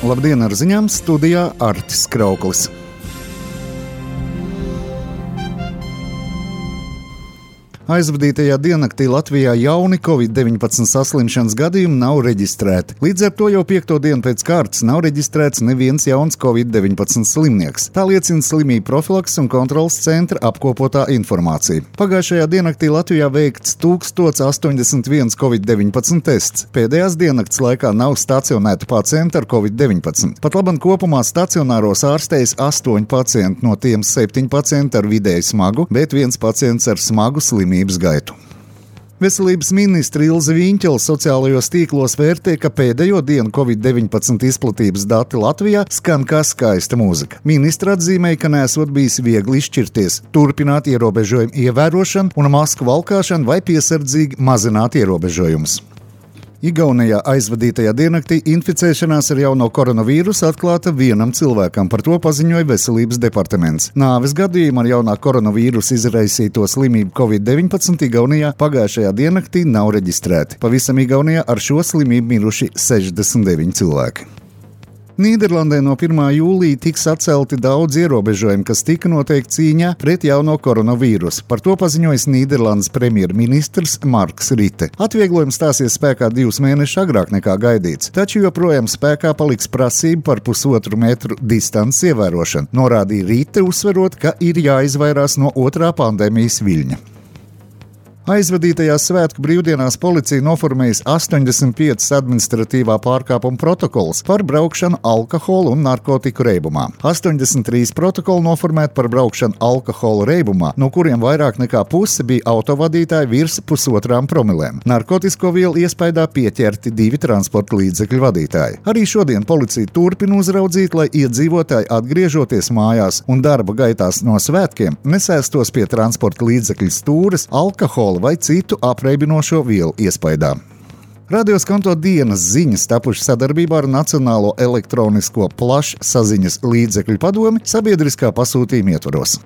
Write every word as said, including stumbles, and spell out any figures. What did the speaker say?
Labdien, ar ziņām studijā Artis Krauklis. Aizvadītajā diennaktī Latvijā jauni covid deviņpadsmit saslimšanas gadījumi nav reģistrēti. Līdz ar to jau piekto dienu pēc kārtas nav reģistrēts neviens jauns covid deviņpadsmit slimnieks. Tā liecina Slimību profilakses un kontroles centra apkopotā informācija. Pagājušajā diennaktī Latvijā veikts tūkstoš astoņdesmit viens covid deviņpadsmit tests. Pēdējās diennakts laikā nav stacionēti pacienti ar covid deviņpadsmit. Pat labam kopumā stacionāros ārstējas astoņi pacienti, no tiem septiņi pacienti ar vidēji smagu, bet viens pacients ar smagu slimību gaitu. Veselības ministre Ilze Viņķele sociālajos tīklos vērtē, ka pēdējo dienu covid deviņpadsmit izplatības dati Latvijā skan kā skaista mūzika. Ministre atzīmēja, ka nesot bijis viegli izšķirties, turpināt ierobežojumu ievērošanu un masku valkāšanu vai piesardzīgi mazināt ierobežojumus. Igaunijā aizvadītajā diennaktī inficēšanās ar jauno koronavīrusu atklāta vienam cilvēkam, par to paziņoja Veselības departaments. Nāves gadījumu ar jaunā koronavīrusa izraisīto slimību covid deviņpadsmit Igaunijā pagājušajā diennaktī nav reģistrēti. Pavisam Igaunijā ar šo slimību miruši sešdesmit deviņi cilvēki. Nīderlandē no pirmā jūlija tiks atcelti daudz ierobežojumi, kas tika noteikti cīņā pret jauno koronavīrusu. Par to paziņojis Nīderlandes premjerministrs Marks Rite. Atvieglojums stāsies spēkā divus mēnešus agrāk nekā gaidīts, taču joprojām spēkā paliks prasība par pusotru metru distances ievērošanu, norādīja Rite, uzsverot, ka ir jāizvairās no otrā pandēmijas viļņa. Aizvadītajās svētku brīvdienās policija noformējas astoņdesmit piecas administratīvā pārkāpuma protokols par braukšanu alkohola un narkotiku reibumā. astoņdesmit trīs protokoli noformēti par braukšanu alkohola reibumā, no kuriem vairāk nekā puse bija autovadītāji virs pusotrām promilēm. Narkotisko vielu iespaidā pieķerti divi transporta līdzekļu vadītāji. Arī šodien policija turpina uzraudzīt, lai iedzīvotāji atgriežoties mājās un darba gaitās no svētkiem nesēstos pie transporta līdzekļu stūres, alkohola vai citu apreibinošo vielu iespaidā. Radio skanto dienas ziņas tapušas sadarbībā ar Nacionālo elektronisko plašsaziņas līdzekļu padomi sabiedriskā pasūtījuma ietvaros.